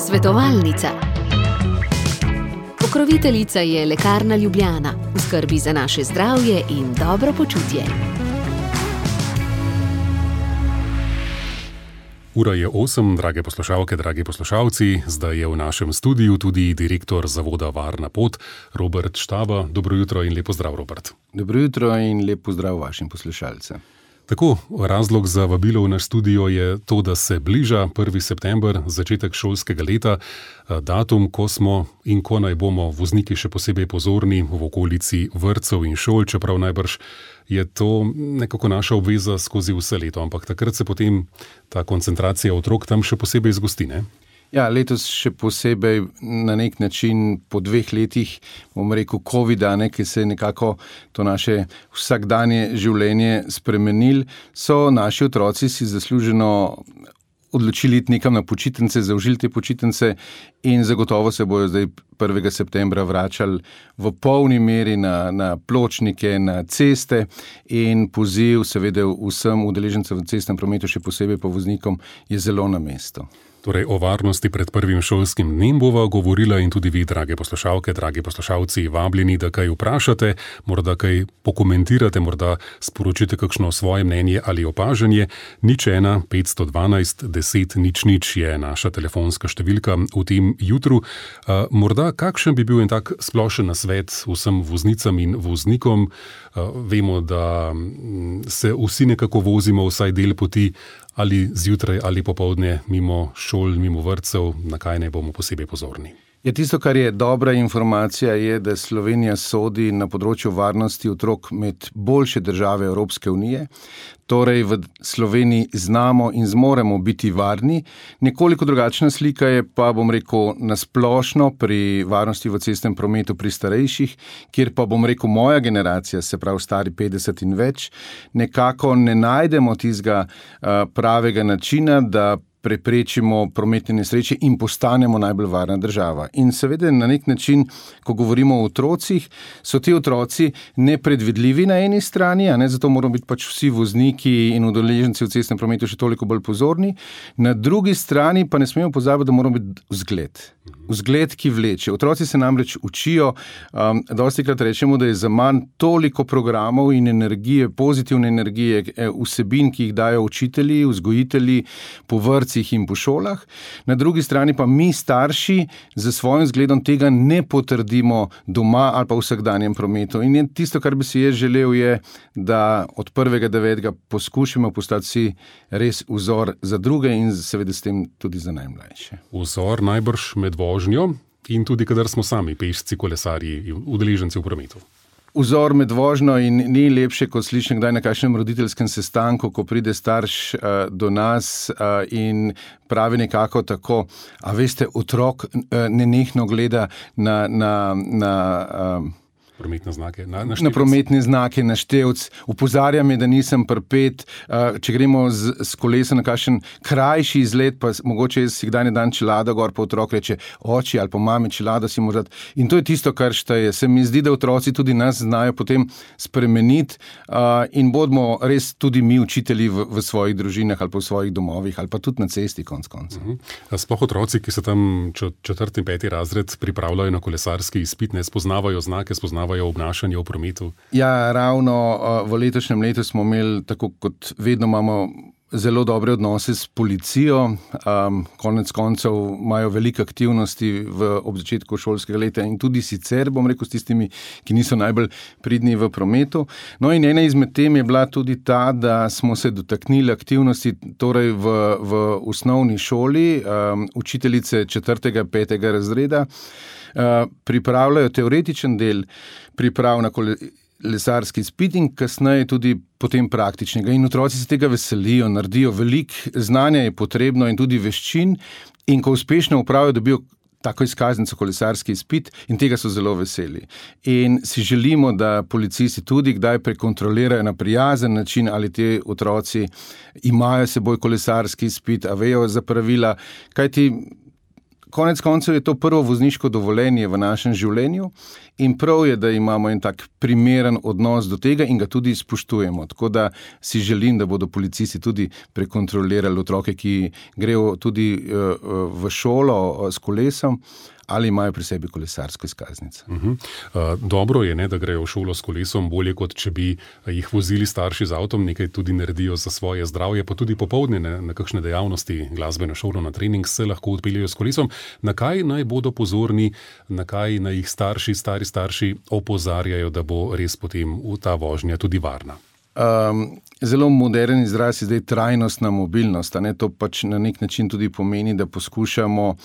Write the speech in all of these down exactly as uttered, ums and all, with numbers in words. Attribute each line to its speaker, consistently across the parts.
Speaker 1: Svetovalnica. Pokroviteljica je Lekarna Ljubljana, v skrbi za naše zdravje in dobro počutje.
Speaker 2: Ura je osem, drage poslušalke, dragi poslušalci. Zdaj je v našem studiu tudi direktor Zavoda Varna pot, Robert Štaba. Dobro jutro in lepo zdrav, Robert.
Speaker 3: Dobro jutro in lepo zdrav vašim poslušalcem.
Speaker 2: Tako, razlog za vabilo v naš studio je to, da se bliža prvi september, začetek šolskega leta, datum, ko smo in ko naj bomo vozniki še posebej pozorni v okolici vrtcev in šol, čeprav najbrž je to nekako naša obveza skozi vse leto, ampak takrat se potem ta koncentracija otrok tam še posebej zgosti, ne?
Speaker 3: Ja, letos še posebej na nek način po dveh letih, bom rekel, covida, ne, ki se je nekako to naše vsakdanje življenje spremenil, so naši otroci si zasluženo odločili iti nekam na počitnice, zaužili te počitnice in zagotovo se bojo zdaj prvega septembra vračali v polni meri na, na pločnike, na ceste in poziv seveda vsem udeležencem v cestnem prometu, še posebej pa voznikom, je zelo na mestu.
Speaker 2: Torej, o varnosti pred prvim šolskim dnem bova govorila in tudi vi, drage poslušalke, dragi poslušalci, vabljeni, da kaj vprašate, morda kaj pokomentirate, morda sporočite kakšno svoje mnenje ali opažanje. Nič ena, petsto dvanajst, deset, nič nič je naša telefonska številka v tem jutru. Uh, morda kakšen bi bil en tak splošen nasvet vsem voznicam in voznikom? Uh, vemo, da se vsi nekako vozimo vsaj del poti, ali zjutraj ali popoldne mimo šol, mimo vrtcev, na kaj naj bomo posebej pozorni.
Speaker 3: Ja, tisto, kar je dobra informacija, je, da Slovenija sodi na področju varnosti otrok med boljše države Evropske unije. Torej v Sloveniji znamo in zmoremo biti varni. Nekoliko drugačna slika je pa, bom rekel, nasplošno pri varnosti v cestnem prometu pri starejših, kjer pa, bom rekel, moja generacija, se pravi stari petdeset in več, nekako ne najdemo tistega uh, pravega načina, da preprečimo prometne nesreče in postanemo najbolj varna država. In seveda na nek način, ko govorimo o otrocih, so ti otroci nepredvidljivi na eni strani, a ne, zato moramo biti pač vsi vozniki in udeleženci v cestnem prometu še toliko bolj pozorni. Na drugi strani pa ne smemo pozabiti, da moramo biti vzgled. Vzgled, ki vleče. Otroci se namreč učijo, um, dostikrat rečemo, da je za manj toliko programov in energije, pozitivne energije, vsebin, ki jih dajo učitelji, vzgojitelji po vrtcih in po šolah. Na drugi strani pa mi starši za svojim zgledom tega ne potrdimo doma ali pa v vsakdanjem prometu. In tisto, kar bi si jaz želel, je, da od prvega devetega poskušamo postati vsi res vzor za druge in seveda s tem tudi za najmlajše.
Speaker 2: Vzor najbrž med vožnjo in tudi, kadar smo sami pešci, kolesarji in udeleženci v prometu.
Speaker 3: Vzor med vožnjo in ni lepše, kot slišim kdaj na kakšnem roditeljskem sestanku, ko pride starš uh, do nas uh, in pravi nekako tako, a veste, otrok uh, nenehno gleda na... na, na uh,
Speaker 2: Prometne znake, na, na,
Speaker 3: na prometne znake, na števc. Upozarja me, da nisem prpet. Če gremo z, z kolesa na kakšen krajši izlet, pa mogoče jaz si kdaj ne dan čelado gor, pa otrok reče, oči ali pa mami, čelado si možat. In to je tisto, kar šteje. Se mi zdi, da otroci tudi nas znajo potem spremeniti uh, in bodimo res tudi mi učitelji v, v svojih družinah ali pa v svojih domovih ali pa tudi na cesti konc konca.
Speaker 2: Uh-huh. Sploh otroci, ki se tam četrti in peti razred pripravljajo na kolesarski izpit, ne spoznavajo znake, spoznavajo obnašanje v prometu?
Speaker 3: Ja, ravno v letošnjem letu smo imeli, tako kot vedno imamo, zelo dobre odnose s policijo. Um, konec koncev imajo veliko aktivnosti v, ob začetku šolskega leta in tudi sicer, bom rekel, s tistimi, ki niso najbolj pridni v prometu. No in ena izmed tem je bila tudi ta, da smo se dotaknili aktivnosti torej v, v osnovni šoli, um, učiteljice četrtega, petega razreda, Uh, pripravljajo teoretičen del priprav na kolesarski izpit in kasneje tudi potem praktičnega. In otroci se tega veselijo, naredijo veliko znanja je potrebno in tudi veščin in ko uspešno upravijo, dobijo tako izkaznico kolesarski izpit in tega so zelo veseli. In si želimo, da policisti tudi kdaj prekontrolirajo na prijazen način, ali ti otroci imajo seboj kolesarski izpit, a vejo za pravila, kajti konec koncev je to prvo vozniško dovoljenje v našem življenju in prav je, da imamo en tak primeren odnos do tega in ga tudi spoštujemo. Tako da si želim, da bodo policisti tudi prekontrolirali otroke, ki grejo tudi v šolo s kolesom ali imajo pri sebi kolesarsko izkaznico.
Speaker 2: Uh-huh. Uh, dobro je, ne, da grejo v šolo s kolesom, bolje kot če bi jih vozili starši z avtom, nekaj tudi naredijo za svoje zdravje, pa tudi popoldne na, na kakšne dejavnosti, glasbeno šolo, na trening se lahko odpeljejo s kolesom. Na kaj naj bodo pozorni, na kaj naj jih starši, stari starši opozarjajo, da bo res potem ta vožnja tudi varna?
Speaker 3: Um, zelo moderen izraz je zdaj trajnostna mobilnost. Ne? To pač na nek način tudi pomeni, da poskušamo uh,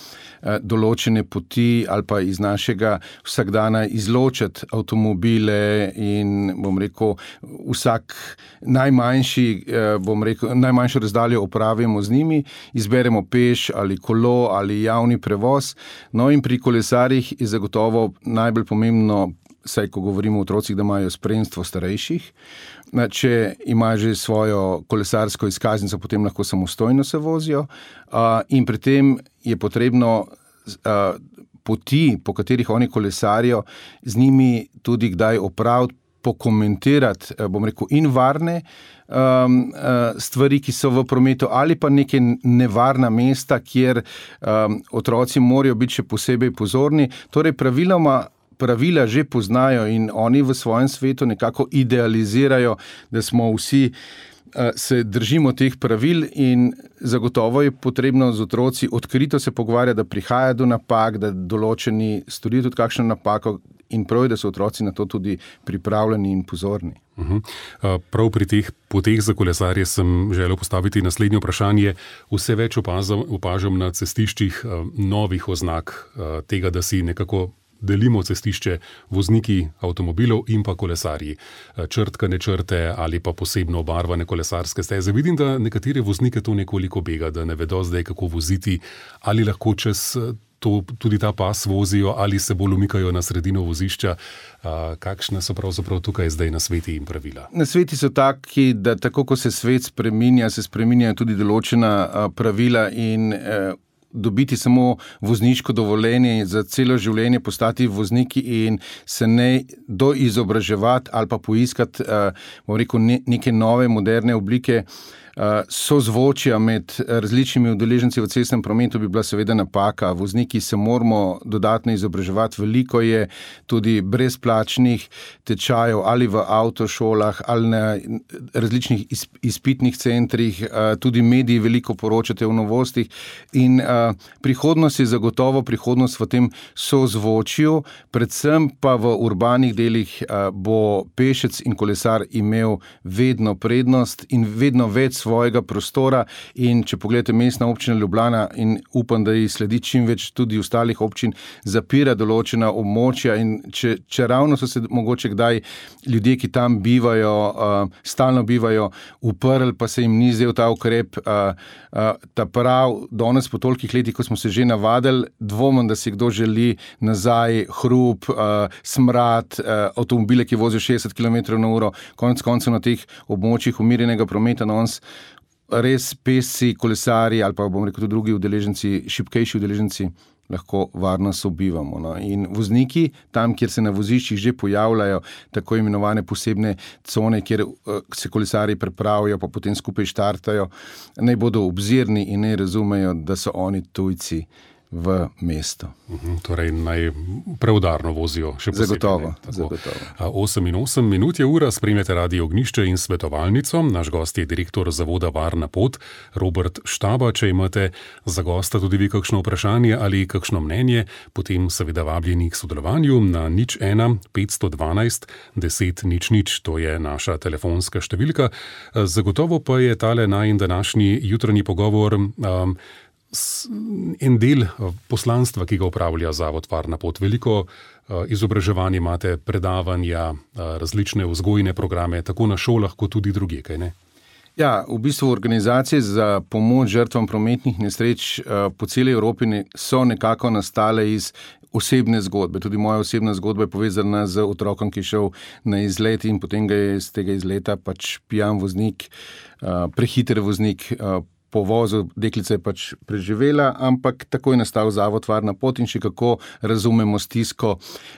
Speaker 3: določene poti ali pa iz našega vsakdana izločiti avtomobile in, bom rekel, vsak najmanjši, uh, bom rekel, najmanjšo razdaljo opravimo z njimi, izberemo peš ali kolo ali javni prevoz. No in pri kolesarjih je zagotovo najbolj pomembno, saj ko govorimo o otrocih, da imajo spremstvo starejših. Če imajo že svojo kolesarsko izkaznico, potem lahko samostojno se vozijo. In pri tem je potrebno poti, po katerih oni kolesarijo, z njimi tudi kdaj opraviti, pokomentirati, bom rekel, in varne stvari, ki so v prometu, ali pa neke nevarna mesta, kjer otroci morajo biti še posebej pozorni. Torej, praviloma pravila že poznajo in oni v svojem svetu nekako idealizirajo, da smo vsi, se držimo teh pravil in zagotovo je potrebno z otroci odkrito se pogovarjati, da prihaja do napak, da določeni storijo tudi kakšno napako in prav je, da so otroci na to tudi pripravljeni in pozorni.
Speaker 2: Uh-huh. Prav pri teh poteh za kolesarje sem želel postaviti naslednje vprašanje. Vse več opazam, opažam na cestiščih novih oznak tega, da si nekako delimo cestišče vozniki avtomobilov in pa kolesarji. Črtkane črte ali pa posebno obarvane kolesarske steze. Vidim, da nekatere voznike to nekoliko bega, da ne vedo zdaj, kako voziti, ali lahko čez to tudi ta pas vozijo ali se bolj umikajo na sredino vozišča. Kakšne so pravzaprav tukaj zdaj nasveti in pravila?
Speaker 3: Nasveti so taki, da tako, ko se svet spreminja, se spreminjajo tudi določena pravila in dobiti samo vozniško dovoljenje za celo življenje, postati vozniki in se ne doizobraževati ali pa poiskati, bom rekel, neke nove, moderne oblike sozvočja med različnimi udeleženci v cestnem prometu bi bila seveda napaka. Vozniki se moramo dodatno izobraževati. Veliko je tudi brezplačnih tečajev ali v avtošolah ali na različnih izpitnih centrih. Tudi mediji veliko poročate o novostih in prihodnost je zagotovo prihodnost v tem sozvočju, predvsem pa v urbanih delih bo pešec in kolesar imel vedno prednost in vedno več svojega prostora in če pogledate mestna občina Ljubljana in upam, da ji sledi čim več tudi ostalih občin, zapira določena območja in če, če ravno so se mogoče kdaj ljudje, ki tam bivajo, uh, stalno bivajo, uprli, pa se jim ni zdel ta ukrep, uh, uh, ta prav, danes po tolikih letih, ko smo se že navadili, dvomim, da si kdo želi nazaj hrup, uh, smrad, uh, avtomobile, ki vozijo šestdeset kilometrov na uro, konec koncev na teh območjih umirjenega prometa, no ons res pesci, kolesari ali pa bom rekel tudi drugi udeleženci, šibkejši udeleženci lahko varno sobivamo. No. In vozniki, tam, kjer se na voziščih že pojavljajo tako imenovane posebne cone, kjer uh, se kolesari prepravijo, pa potem skupaj štartajo, naj bodo obzirni in naj razumejo, da so oni tujci v mesto.
Speaker 2: Uhum, torej naj preudarno vozijo. Še posebej,
Speaker 3: zagotovo, zagotovo.
Speaker 2: osem in osem minut je ura, spremljate Radio Ognjišče in svetovalnico. Naš gost je direktor zavoda Varna pot, Robert Štaba. Če imate za gosta tudi vi kakšno vprašanje ali kakšno mnenje, potem seveda vabljeni k sodelovanju na nič ena petsto dvanajst deset nič nič, to je naša telefonska številka. Zagotovo pa je tale najin današnji jutranji pogovor um, en del poslanstva, ki ga upravlja Zavod Varna pot. Veliko izobraževanja imate, predavanja, različne vzgojne programe, tako na šolah, kot tudi drugje, kaj ne?
Speaker 3: Ja, v bistvu organizacije za pomoč žrtvam prometnih nesreč po celi Evropi so nekako nastale iz osebne zgodbe. Tudi moja osebna zgodba je povezana z otrokom, ki je šel na izlet in potem ga je iz tega izleta pač pijan voznik, prehiter voznik po vozu, deklica je pač preživela, ampak tako je nastal zavod Varna pot in še kako razumemo stisko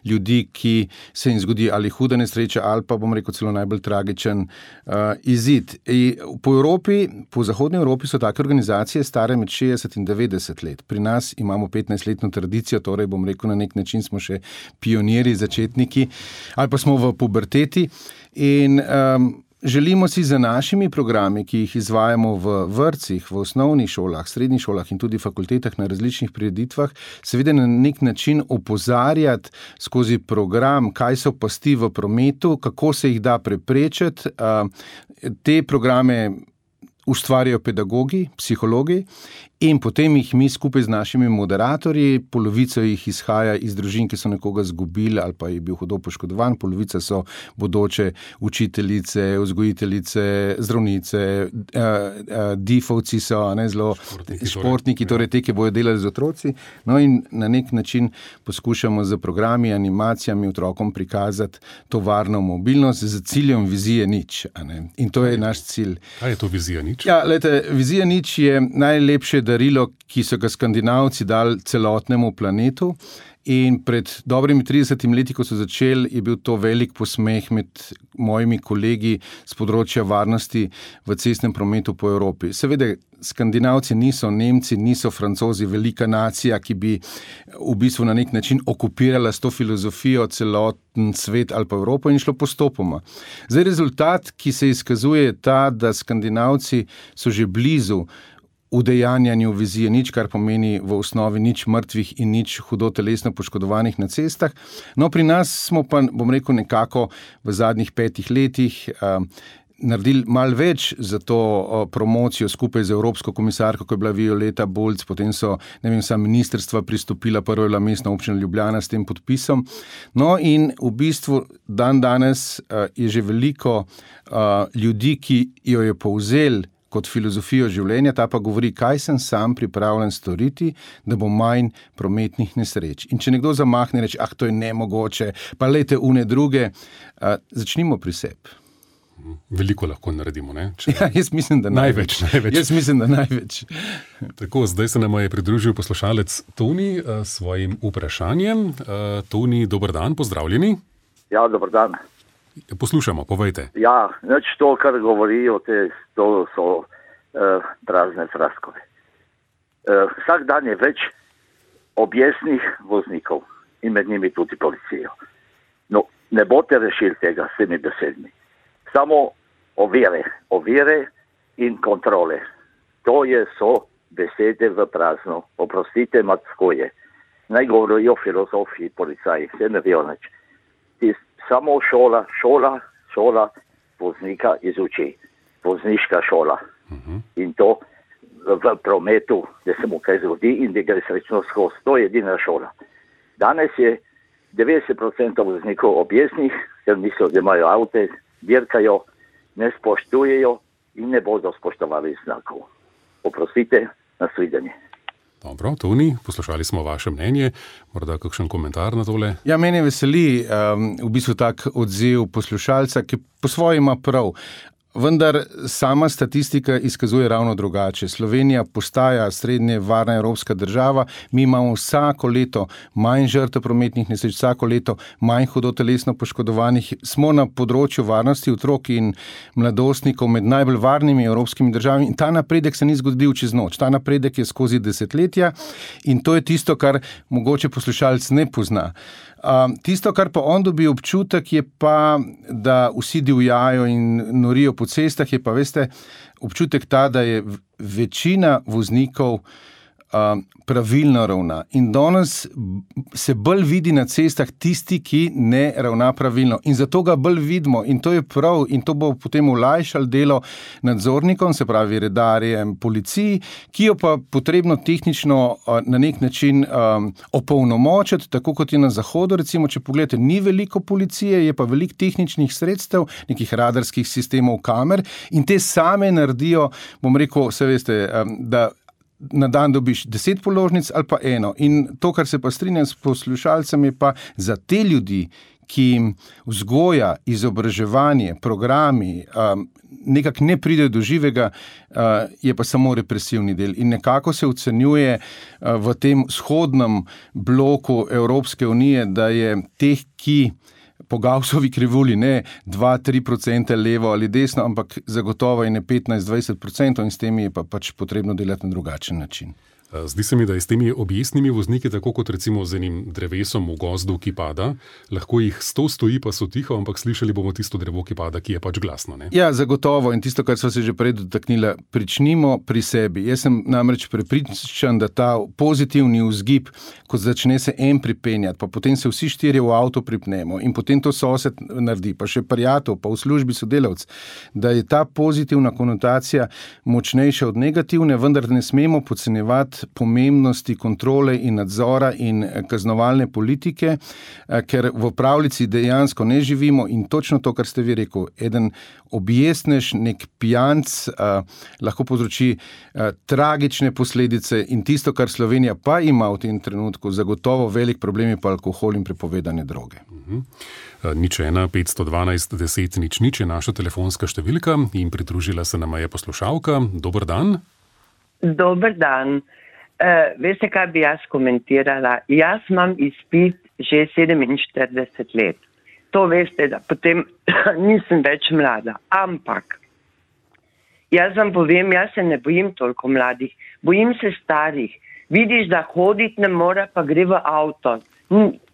Speaker 3: ljudi, ki se jim zgodi ali huda nesreča, ali pa, bom rekel, celo najbolj tragičen uh, izid. In po Evropi, po zahodni Evropi so take organizacije stare med šestdeset in devetdeset let. Pri nas imamo petnajstletno tradicijo, torej, bom rekel, na nek način smo še pionirji, začetniki, ali pa smo v puberteti in um, želimo si za našimi programi, ki jih izvajamo v vrtcih, v osnovnih šolah, srednjih šolah in tudi fakultetah na različnih prireditvah, seveda na nek način opozarjati skozi program, kaj so pasti v prometu, kako se jih da preprečiti. Te programe ustvarjajo pedagogi, psihologi in potem jih mi skupaj z našimi moderatorji, polovica jih izhaja iz družin, ki so nekoga zgubili ali pa je bil hudo poškodovan, polovica so bodoče učiteljice, vzgojiteljice, zdravnice, uh, uh, difovci so, ne, zelo športniki, športniki torej, torej te, ki bojo delali z otroci. No in na nek način poskušamo z programi, animacijami otrokom prikazati to varno mobilnost z ciljem vizije nič. Ne? In to je naš cilj.
Speaker 2: Kaj je to vizija nič?
Speaker 3: Ja, lejte, vizija nič je najlepše darilo, ki so ga Skandinavci dali celotnemu planetu. In pred dobrimi tridesetimi leti, ko so začeli, je bil to velik posmeh med mojimi kolegi z področja varnosti v cestnem prometu po Evropi. Seveda, Skandinavci niso Nemci, niso Francozi, velika nacija, ki bi v bistvu na nek način okupirala s to filozofijo celoten svet ali pa Evropo in šlo postopoma. Zdaj, rezultat, ki se izkazuje, je ta, da Skandinavci so že blizu udejanjanju vizije nič, kar pomeni v osnovi nič mrtvih in nič hudo telesno poškodovanih na cestah. No, pri nas smo pa, bom rekel, nekako v zadnjih petih letih uh, naredili malo več za to uh, promocijo skupaj z Evropsko komisarko, ko je bila Violeta Bulc, potem so, ne vem, vsa ministrstva pristopila, prvo je bila Mestna občina Ljubljana s tem podpisom. No in v bistvu dan danes uh, je že veliko uh, ljudi, ki jo je povzel kot filozofijo življenja, ta pa govori, kaj sem sam pripravljen storiti, da bo manj prometnih nesreč. In če nekdo zamahne reči, ah, to je nemogoče, pa lejte une druge, uh, začnimo pri sebi.
Speaker 2: Veliko lahko naredimo, ne? Če...
Speaker 3: Ja, jaz mislim, da največ.
Speaker 2: Največ, največ.
Speaker 3: Jaz mislim, da največ.
Speaker 2: Tako, zdaj se nam je pridružil poslušalec Toni uh, s svojim vprašanjem. Uh, Toni, dober dan, pozdravljeni.
Speaker 4: Ja, dober dan.
Speaker 2: Poslušamo, povejte.
Speaker 4: Ja, nič to, kar govorijo, te, to so uh, prazne fraskove. Uh, vsak dan je več objesnih voznikov in med njimi tudi policijo. No, ne boste rešili tega s temi besedmi. Samo ovire, ovire in kontrole. To je so besede v prazno. Oprostite, matsko je. Naj govorijo filozofi, policaji, vse ne vejo nič. Samo šola, šola, šola voznika izuči. Vozniška šola. Uh-huh. In to v prometu, da se mu kaj zgodi in da gre srečno skozi. To je edina šola. Danes je devetdeset procentov voznikov objesnih, ker mislijo, da imajo avte, dirkajo, ne spoštujejo in ne bodo spoštovali znakov. Oprostite, nasvidenje.
Speaker 2: Dobro, Toni, poslušali smo vaše mnenje, morda kakšen komentar na tole?
Speaker 3: Ja, mene veseli um, v bistvu tak odziv poslušalca, ki po svoje ima prav. Vendar sama statistika izkazuje ravno drugače. Slovenija postaja srednje varna evropska država, mi imamo vsako leto manj žrtev prometnih nesreč, vsako leto manj hudo telesno poškodovanih. Smo na področju varnosti otrok in mladostnikov med najbolj varnimi evropskimi državami in ta napredek se ni zgodil čez noč. Ta napredek je skozi desetletja in to je tisto, kar mogoče poslušalec ne pozna. Uh, tisto, kar pa on dobi občutek, je pa, da vsi divjajo in norijo po cestah, je pa, veste, občutek ta, da je večina voznikov uh, pravilno ravna. In danes se bolj vidi na cestah tisti, ki ne ravna pravilno. In zato ga bolj vidimo. In to je prav. In to bo potem olajšalo delo nadzornikom, se pravi redarjem, policiji, ki jo pa potrebno tehnično uh, na nek način um, opolnomočiti, tako kot je na zahodu. Recimo, če pogledate, ni veliko policije, je pa veliko tehničnih sredstev, nekih radarskih sistemov, kamer in te same naredijo, bom rekel, vse veste, um, da na dan dobiš deset položnic ali pa eno. In to, kar se pa strinjam s poslušalcem, je pa za te ljudi, ki vzgoja, izobraževanje, programi nekako ne pride do živega, je pa samo represivni del. In nekako se ocenjuje v tem vzhodnem bloku Evropske unije, da je teh, ki po Gaussovi krivulji ne dva do tri procente levo ali desno, ampak zagotovo je ne petnajst do dvajset procentov in s temi je pa pač potrebno delati na drugačen način.
Speaker 2: Zdi se mi, da je s temi objestnimi vozniki, tako kot recimo z enim drevesom v gozdu, ki pada, lahko jih sto stoji, pa so tiho, ampak slišali bomo tisto drevo, ki pada, ki je pač glasno. Ne?
Speaker 3: Ja, zagotovo. In tisto, kar so se že prej dotaknila, pričnimo pri sebi. Jaz sem namreč prepričan, da ta pozitivni vzgib, ko začne se en pripenjati, pa potem se vsi štirje v avto pripnemo in potem to sosed naredi, pa še prijatelj, pa v službi sodelavc, da je ta pozitivna konotacija močnejša od negativne, vendar ne smemo podcenjevati pomembnosti kontrole in nadzora in kaznovalne politike, ker v pravljici dejansko ne živimo in točno to, kar ste vi rekel, eden objestnež, nek pijanc eh, lahko povzroči eh, tragične posledice in tisto, kar Slovenija pa ima v tem trenutku, zagotovo velik problem je pa alkohol in prepovedane droge.
Speaker 2: Uh-huh. Nič ena, petsto dvanajst, deset, nič nič je naša telefonska številka in pridružila se nama je poslušalka. Dober dan.
Speaker 5: Dober dan. Uh, veste, kaj bi jaz komentirala? Jaz imam izpit že sedeminštirideset let. To veste, da potem nisem več mlada. Ampak, jaz vam povem, jaz se ne bojim toliko mladih. Bojim se starih. Vidiš, da hoditi ne more, pa gre v avto.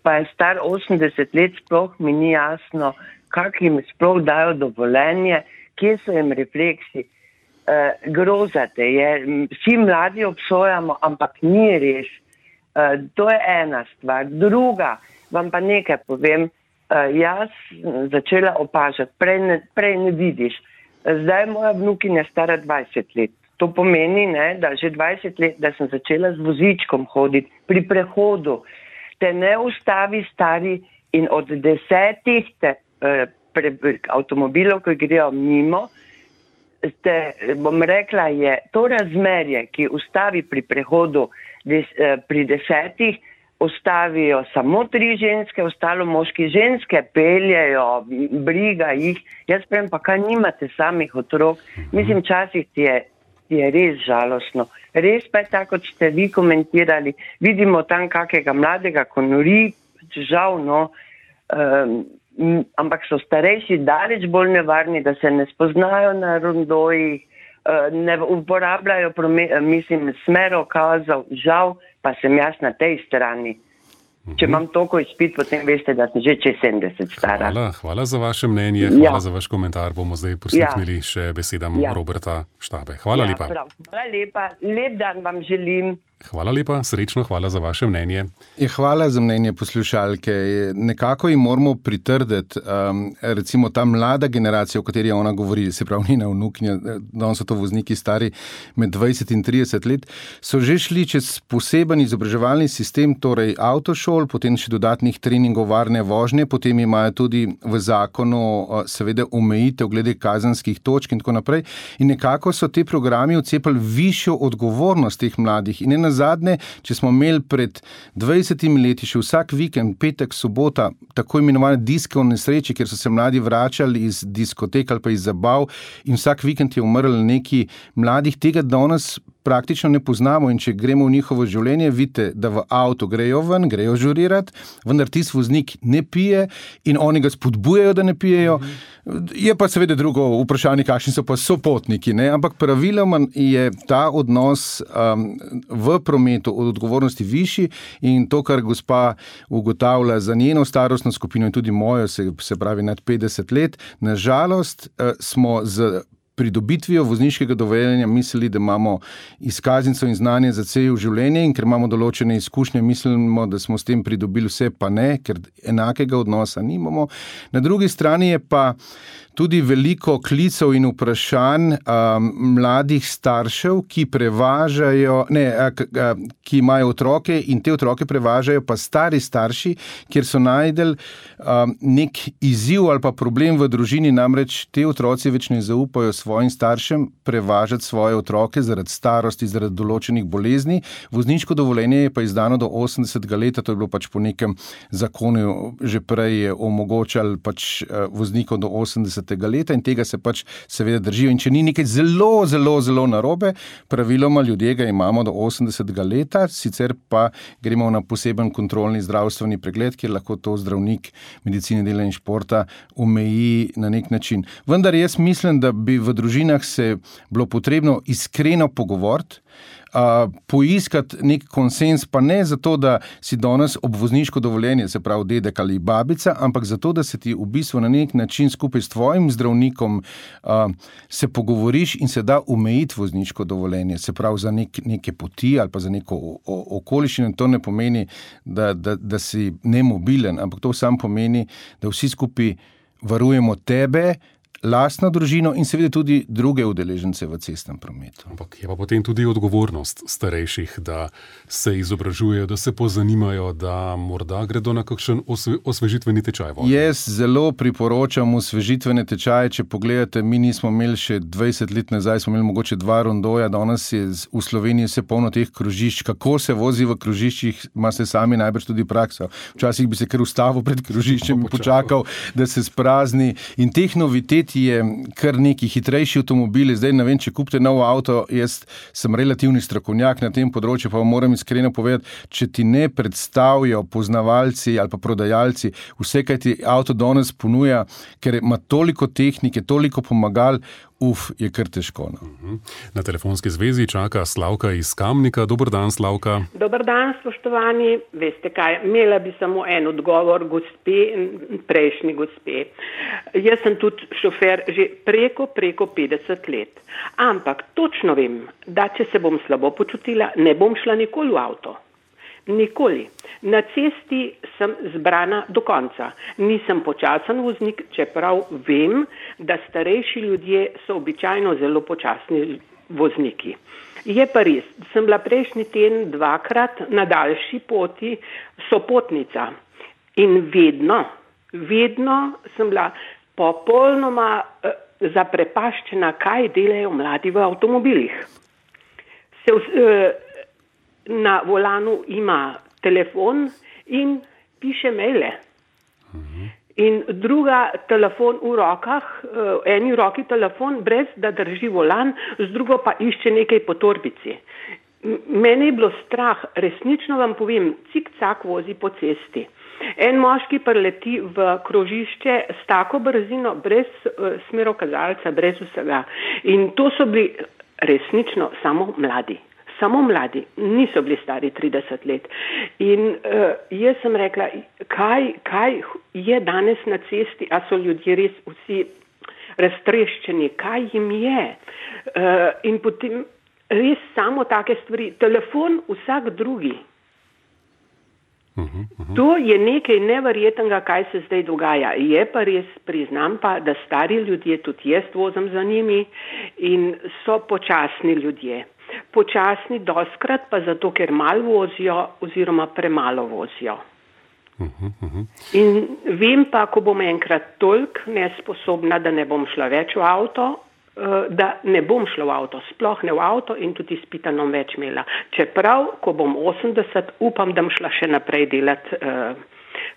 Speaker 5: Pa je star osemdeset let, sploh mi ni jasno, kak jim sploh dajo dovoljenje, kje so jim refleksi. Uh, grozate je, vsi mladi obsojamo, ampak ni res. Uh, to je ena stvar. Druga, vam pa nekaj povem, uh, jaz začela opažati, prej ne, prej ne vidiš. Zdaj moja vnukinja stara dvajset let. To pomeni, ne, da že dvajset let, da sem začela z vozičkom hoditi pri prehodu. Te ne ustavi stari in od desetih te, uh, pre, avtomobilov, ki grejo mimo, Ste, bom rekla, je to razmerje, ki ustavi pri prehodu des, pri desetih, ustavijo samo tri ženske, ostalo moški. Ženske peljejo, briga jih. Jaz prem, pa kaj nimate samih otrok? Mislim, časih ti je, ti je res žalostno. Res pa je tako, kot ste vi komentirali. Vidimo tam kakega mladega, ko nori, žal, no, um, ampak so starejši daleč bolj nevarni, da se ne spoznajo na rondojih, ne uporabljajo mislim, smerokazov, žal pa sem jaz na tej strani. Če imam toliko izpit, potem veste, da sem že čez sedemdeset stara.
Speaker 2: Hvala, hvala za vaše mnenje, hvala ja. za vaš komentar. Bomo zdaj prisluhnili ja. še besedam ja. Roberta Štabe. Hvala ja, lepa. Prav.
Speaker 5: Hvala lepa, lep dan vam želim.
Speaker 2: Hvala lepa, srečno, hvala za vaše mnenje.
Speaker 3: Je, hvala za mnenje poslušalke. Nekako jim moramo pritrditi, um, recimo ta mlada generacija, o kateri ona govori, se pravi njena vnuknja, danes so to vozniki stari med dvajset in trideset let, so že šli čez poseben izobraževalni sistem, torej avtošol, potem še dodatnih treningov varne vožnje, potem imajo tudi v zakonu seveda omejitev glede kazenskih točk in tako naprej. In nekako so te programi odcepali višjo odgovornost teh mladih. In ena zadnje, če smo imeli pred dvajsetimi leti še vsak vikend, petek, sobota, tako imenovane diske v nesreči, kjer so se mladi vračali iz diskotek ali pa iz zabav in vsak vikend je umrl neki mladih, tega danes praktično ne poznamo in če gremo v njihovo življenje, vidite, da v avto grejo ven, grejo žurirati, vendar tisti voznik ne pije in oni ga spodbujajo, da ne pijejo. Je pa seveda drugo vprašanje, kakšni so pa sopotniki, ne? Ampak praviloma je ta odnos um, v prometu od odgovornosti višji in to, kar gospa ugotavlja za njeno starostno skupino in tudi mojo, se, se pravi nad petdeset let, na žalost uh, smo z pridobitvijo vozniškega dovoljenja mislili, da imamo izkaznico in znanje za celo življenje in ker imamo določene izkušnje, mislimo, da smo s tem pridobili vse, pa ne, ker enakega odnosa nimamo. Na drugi strani je pa tudi veliko klicev in vprašanj um, mladih staršev, ki prevažajo, ne, ki imajo otroke in te otroke prevažajo pa stari starši, kjer so najdel um, nek izziv ali pa problem v družini, namreč te otroci več ne zaupajo svojim staršem prevažati svoje otroke zaradi starosti, zaradi določenih bolezni. Vozniško dovoljenje je pa izdano do osemdesetega leta, to je bilo pač po nekem zakonu že prej omogočal pač voznikov do osemdesetega leta in tega se pač seveda držijo. In če ni nekaj zelo, zelo, zelo narobe, praviloma ljudje ga imamo do osemdesetega leta, sicer pa gremo na poseben kontrolni zdravstveni pregled, kjer lahko to zdravnik medicine, dela in športa omeji na nek način. Vendar jaz mislim, da bi v družinah se bilo potrebno iskreno pogovoriti, Uh, poiskati nek konsens, pa ne zato, da si danes ob vozniško dovoljenje, se pravi dedek ali babica, ampak zato, da se ti v bistvu na nek način skupaj s tvojim zdravnikom uh, se pogovoriš in se da omejiti vozniško dovoljenje, se pravi za nek, neke poti ali pa za neko okoliščino. To ne pomeni, da, da, da si nemobilen, ampak to sam pomeni, da vsi skupaj varujemo tebe, lastno družino in seveda tudi druge udeležence v cestnem prometu.
Speaker 2: Ampak je pa potem tudi odgovornost starejših, da se izobražujejo, da se pozanimajo, da morda gredo na kakšen osve, osvežitveni tečaj. Vožnje.
Speaker 3: Jaz zelo priporočam osvežitvene tečaje. Če pogledate, mi nismo imeli še dvajset let nazaj, smo imeli mogoče dva rondoja, danes je v Sloveniji vse polno teh krožišč. Kako se vozi v krožiščih, ima se sami najbrž tudi prakso. Včasih bi se kar ustavil pred krožiščem in počakal, da se sprazni. In teh novitet je kar neki hitrejši avtomobili. Zdaj ne vem, če kupite nov avto, jaz sem relativni strokovnjak na tem področju, pa moram iskreno povedati, če ti ne predstavijo poznavalci ali pa prodajalci vse, kaj ti avto danes ponuja, ker ima toliko tehnike, toliko pomagal, uf, je kar težko. No.
Speaker 2: Na telefonski zvezi čaka Slavka iz Kamnika. Dober dan, Slavka.
Speaker 6: Dober dan, spoštovani. Veste kaj, imela bi samo en odgovor gospe, prejšnji gospe. Jaz sem tudi šofer že preko, preko petdeset let. Ampak točno vem, da če se bom slabo počutila, ne bom šla nikoli v avto. Nikoli. Na cesti sem zbrana do konca. Nisem počasen voznik, čeprav vem, da starejši ljudje so običajno zelo počasni vozniki. Je pa res, sem bila prejšnji teden dvakrat na daljši poti sopotnica in vedno, vedno sem bila popolnoma eh, zaprepaščena, kaj delajo mladi v avtomobilih. Se eh, Na volanu ima telefon in piše maile. In druga telefon v rokah, eni v roki telefon, brez da drži volan, z drugo pa išče nekaj po torbici. Mene je bilo strah, resnično vam povem, cik-cak vozi po cesti. En moški preleti v krožišče s tako brzino, brez uh, smerokazalca, brez vsega. In to so bili resnično samo mladi. Samo mladi, niso bili stari trideset let. In uh, jaz sem rekla, kaj, kaj je danes na cesti, a so ljudje res vsi raztreščeni, kaj jim je. Uh, in potem res samo take stvari. Telefon vsak drugi.
Speaker 2: Uhum, uhum.
Speaker 6: To je nekaj neverjetnega, kaj se zdaj dogaja. Je pa res, priznam pa, da stari ljudje, tudi jaz vozim za njimi in so počasni ljudje. Počasni doskrat pa zato, ker malo vozijo oziroma premalo vozijo.
Speaker 2: Uhum, uhum.
Speaker 6: In vem pa, ko bom enkrat toliko nesposobna, da ne bom šla več v avto, da ne bom šla v avto, sploh ne v avto in tudi izpitanom več imela. Čeprav, ko bom osemdeset, upam, da bom šla še naprej delati,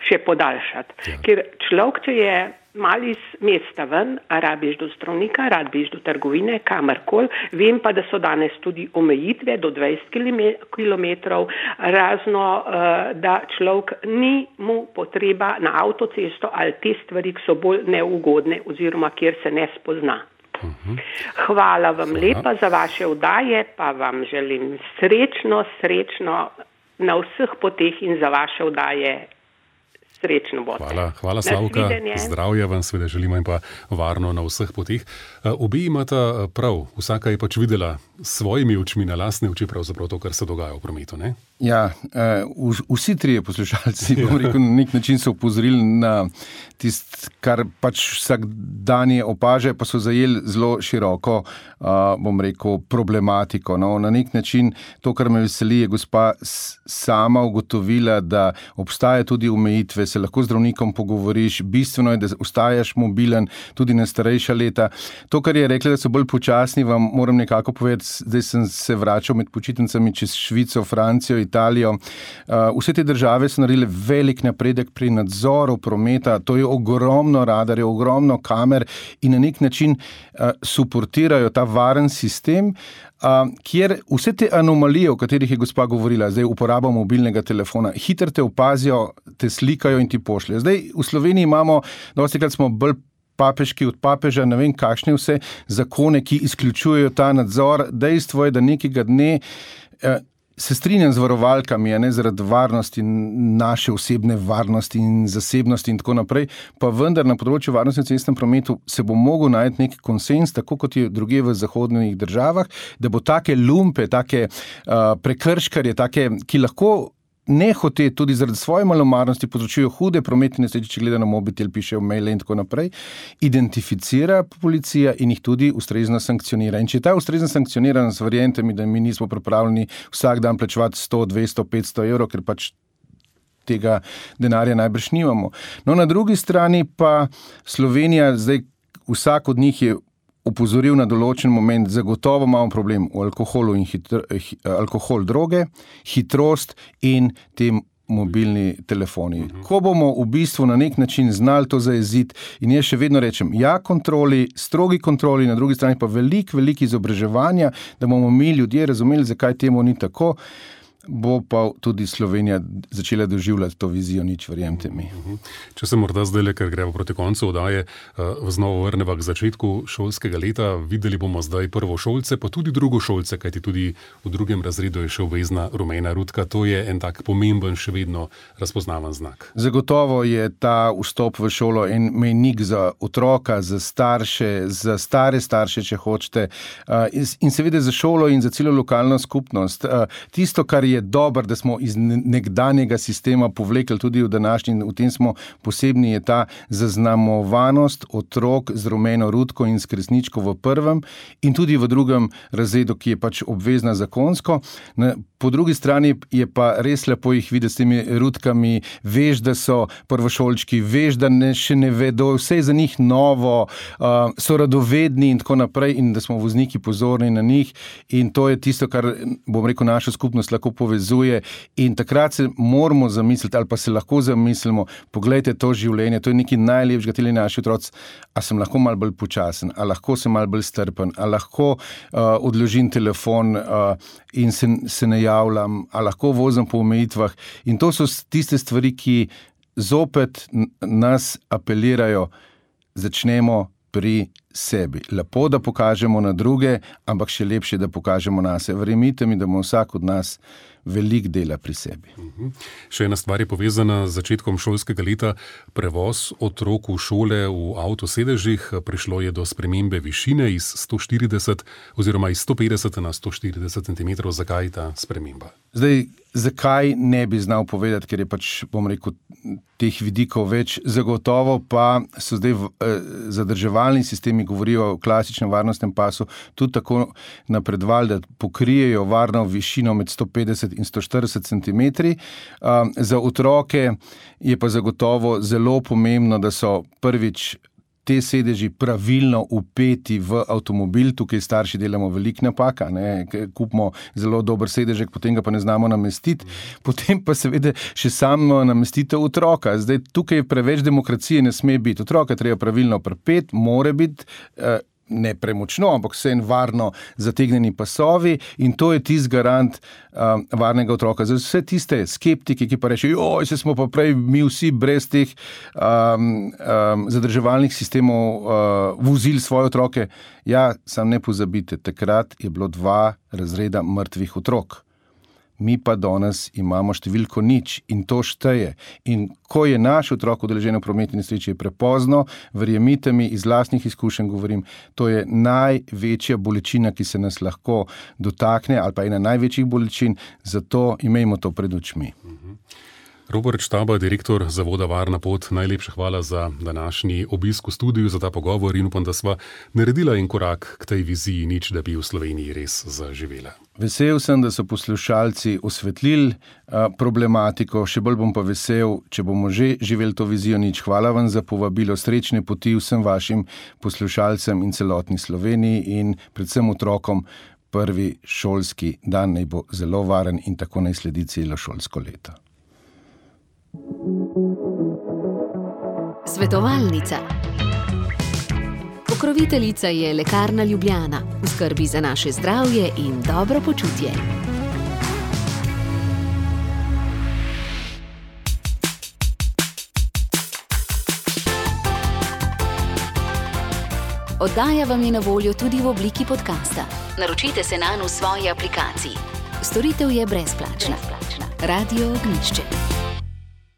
Speaker 6: še podaljšati. Ja. Ker človek, če je malo iz mesta ven, a rabiš do zdravnika, rabiš do trgovine, kamarkoli, vem pa, da so danes tudi omejitve do dvajset kilometrov, razno, da človek ni mu potreba na avtocesto ali te stvari, ki so bolj neugodne oziroma kjer se ne spozna. Hvala vam Hvala. lepa za vaše oddaje, pa vam želim srečno, srečno na vseh poteh in za vaše oddaje srečno bote.
Speaker 2: Hvala, hvala Slavka, zdravja vam seveda želimo in pa varno na vseh poteh. Obi imata prav, vsaka je pač videla svojimi očmi, na lastne oči pravzaprav to, kar se dogaja v prometu, ne?
Speaker 3: Ja, vsi trije poslušalci, bom rekel, na nek način so upozorili na tist, kar pač vsak dan je opaže, pa so zajeli zelo široko, bom rekel, problematiko. No, na nek način to, kar me veseli, je gospa sama ugotovila, da obstaja tudi omejitve, se lahko z zdravnikom pogovoriš, bistveno je, da ostajaš mobilen tudi na starejša leta. To, kar je rekla, da so bolj počasni, vam moram nekako povedati, zdaj sem se vračal med počitnicami čez Švico, Francijo, Italijo. Vse te države so naredile velik napredek pri nadzoru prometa, to je ogromno radarjev, ogromno kamer in na nek način suportirajo ta varen sistem, kjer vse te anomalije, o katerih je gospa govorila, zdaj uporaba mobilnega telefona, hitro te opazijo, te slikajo in ti pošljajo. Zdaj v Sloveniji imamo, dostikrat smo bolj papeški od papeža, ne vem kakšne vse zakone, ki izključujejo ta nadzor. Dejstvo je, da nekega dne eh, se strinjam z varovalkami, ne, zaradi varnosti, naše osebne varnosti in zasebnosti in tako naprej, pa vendar na področju varnosti v cestnem prometu se bo mogel najti nek konsens, tako kot je drugje v zahodnih državah, da bo take lumpe, take uh, prekrškarje, take, ki lahko nehote tudi zaradi svoje malomarnosti povzročijo hude prometne nesreče, če gleda na mobitel, pišejo maile in tako naprej, identificira policija in jih tudi ustrezno sankcionira. In če ta ustrezno sankcionira, verjemite mi, da mi nismo pripravljeni vsak dan plačevati sto, dvesto, petsto evrov, ker pač tega denarja najbrž nimamo. No, na drugi strani pa Slovenija, zdaj vsak od njih je opozoril na določen moment, zagotovo imamo problem v alkoholu in hitro, alkohol, droge, hitrost in te mobilni telefoni. Uh-huh. Ko bomo v bistvu na nek način znali to zajeziti in jaz še vedno rečem, ja kontroli, strogi kontroli, na drugi strani pa velik, velik izobraževanja, da bomo mi ljudje razumeli, zakaj temu ni tako, bo pa tudi Slovenija začela doživljati to vizijo, nič, verjemte mi.
Speaker 2: Če se morda zdaj, ker gremo proti koncu oddaje, znova vrneva k začetku šolskega leta, videli bomo zdaj prvošolce, pa tudi drugošolce, kajti tudi v drugem razredu je še obvezna rumena rutka. To je en tak pomemben, še vedno razpoznavan znak.
Speaker 3: Zagotovo je ta vstop v šolo en mejnik za otroka, za starše, za stare starše, če hočete, in seveda za šolo in za celo lokalno skupnost. Tisto, kar je je dober, da smo iz nekdanjega sistema povlekli tudi v današnji, v tem smo posebni, je ta zaznamovanost otrok z rumeno rutko in s kresničko v prvem in tudi v drugem razredu, ki je pač obvezna zakonsko. Po drugi strani je pa res lepo jih videti s temi rutkami, veš, da so prvošolčki, veš, da ne, še ne vedo, vse je za njih novo, uh, so radovedni in tako naprej in da smo vozniki pozorni na njih in to je tisto, kar, bom rekel, našo skupnost lahko povezuje in takrat se moramo zamisliti ali pa se lahko zamislimo, poglejte to življenje, to je nekaj najlepšega, teli naši otroci, a sem lahko malo bolj počasen, a lahko sem malo bolj strpen, a lahko uh, odložim telefon uh, in se, se ne javljam, a lahko vozim po omejitvah in to so tiste stvari, ki zopet nas apelirajo, začnemo pri sebi. Lepo, da pokažemo na druge, ampak še lepše, da pokažemo nase. Verjemite mi, da bomo vsak od nas velik dela pri sebi.
Speaker 2: Uh-huh. Še ena stvar je povezana z začetkom šolskega leta. Prevoz otrok v šole v avtosedežih. Prišlo je do spremembe višine iz sto štirideset oziroma iz sto petdeset na sto štirideset centimetrov. Zakaj ta sprememba?
Speaker 3: Zdaj, zakaj ne bi znal povedati, ker je pač, bom rekel, teh vidikov več. Zagotovo pa so zdaj eh, zadrževalni sistemi, govorijo o klasičnem varnostnem pasu, tudi tako napredovali, da pokrijejo varno višino med sto petdeset in sto štirideset centimetrov. Um, za otroke je pa zagotovo zelo pomembno, da so prvič te sedeži pravilno upeti v avtomobil. Tukaj starši delamo velik napaka, ne? Kupimo zelo dober sedežek, potem ga pa ne znamo namestiti, potem pa seveda še samo namestitev otroka. Zdaj, tukaj preveč demokracije ne sme biti. Otroka treba pravilno pripeti, more biti eh, ne premočno, ampak vse en varno zategnjeni pasovi in to je tisti garant um, varnega otroka. Za vse tiste skeptike, ki pa rečejo, joj, se smo pa prej mi vsi brez teh um, um, zadrževalnih sistemov uh, vozili svoje otroke. Ja, sam ne pozabite, takrat je bilo dva razreda mrtvih otrok. Mi pa danes imamo številko nič in to šteje. In ko je naš otrok udeležen v prometni nesreči, je prepozno, verjemite mi, iz lastnih izkušenj govorim, to je največja bolečina, ki se nas lahko dotakne, ali pa ena največjih bolečin, zato imejmo to pred očmi.
Speaker 2: Robert Štaba, direktor Zavoda Varna pot, najlepša hvala za današnji obisk v studiu, za ta pogovor in upam, da sva naredila en korak k tej viziji nič, da bi v Sloveniji res zaživela.
Speaker 3: Vesel sem, da so poslušalci osvetlili a, problematiko, še bolj bom pa vesel, če bomo že živeli to vizijo nič. Hvala vam za povabilo, srečne poti vsem vašim poslušalcem in celotni Sloveniji in predvsem otrokom. Prvi šolski dan naj bo zelo varen in tako naj sledi celo šolsko leto.
Speaker 1: Svetovalnica. Pokroviteljica je Lekarna Ljubljana, v skrbi za naše zdravje in dobro počutje. Oddaja vam je na voljo tudi v obliki podcasta. Naročite se nanj v svoji aplikaciji. Storitev je brezplačna. Radio Ognjišče.